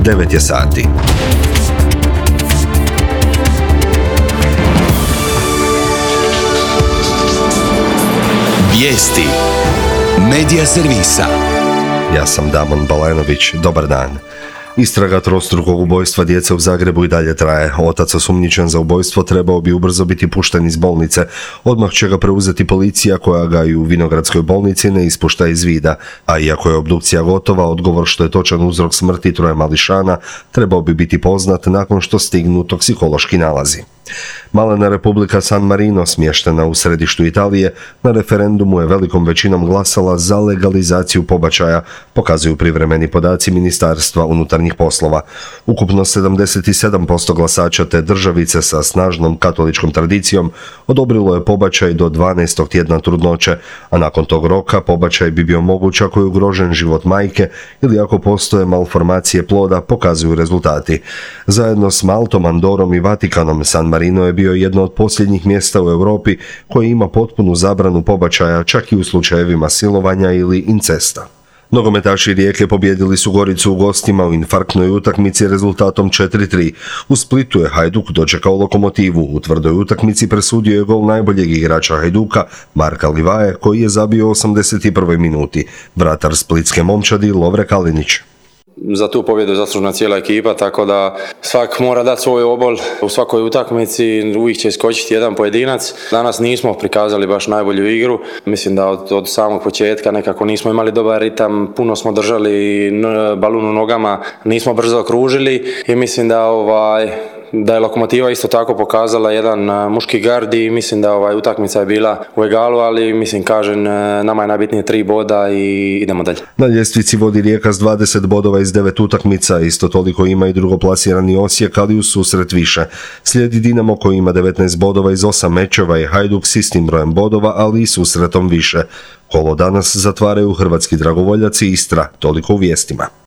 9 je sati. Vijesti Medija servisa. Ja sam Damon Balenović, dobar dan. Istraga trostrukog ubojstva djece u Zagrebu i dalje traje. Otac osumnjičen za ubojstvo trebao bi ubrzo biti pušten iz bolnice. Odmah će ga preuzeti policija koja ga i u Vinogradskoj bolnici ne ispušta iz vida. A iako je obdukcija gotova, odgovor što je točan uzrok smrti troje mališana trebao bi biti poznat nakon što stignu toksikološki nalazi. Malena Republika San Marino, smještena u središtu Italije, na referendumu je velikom većinom glasala za legalizaciju pobačaja, pokazuju privremeni podaci Ministarstva unutarnjih poslova. Ukupno 77% glasača te državice sa snažnom katoličkom tradicijom odobrilo je pobačaj do 12. tjedna trudnoće, a nakon tog roka pobačaj bi bio moguć ako je ugrožen život majke ili ako postoje malformacije ploda, pokazuju rezultati. Zajedno s Maltom, Andorom i Vatikanom, San Marino je bio jedno od posljednjih mjesta u Europi koji ima potpunu zabranu pobačaja čak i u slučajevima silovanja ili incesta. Nogometaši Rijeke pobijedili su Goricu u gostima u infarktnoj utakmici rezultatom 4:3. U Splitu je Hajduk dočekao Lokomotivu. U tvrdoj utakmici presudio je gol najboljeg igrača Hajduka, Marka Livaje, koji je zabio u 81. minuti. Vratar splitske momčadi Lovre Kalinić. Za tu pobjedu zaslužna cijela ekipa, tako da svak mora dati svoj obol u svakoj utakmici, uvijek će iskočiti jedan pojedinac. Danas nismo prikazali baš najbolju igru, mislim da od samog početka nekako nismo imali dobar ritam, puno smo držali balun u nogama, nismo brzo okružili i mislim da je Lokomotiva isto tako pokazala jedan muški gard i mislim da utakmica je bila u egalu, ali mislim nama je najbitnije 3 boda i idemo dalje. Na ljestvici vodi Rijeka s 20 bodova iz 9 utakmica, isto toliko ima i drugoplasirani Osijek, ali u susret više. Slijedi Dinamo koji ima 19 bodova iz 8 mečeva i Hajduk s istim brojem bodova, ali i susretom više. Kolo danas zatvaraju hrvatski dragovoljaci i Istra, toliko u vijestima.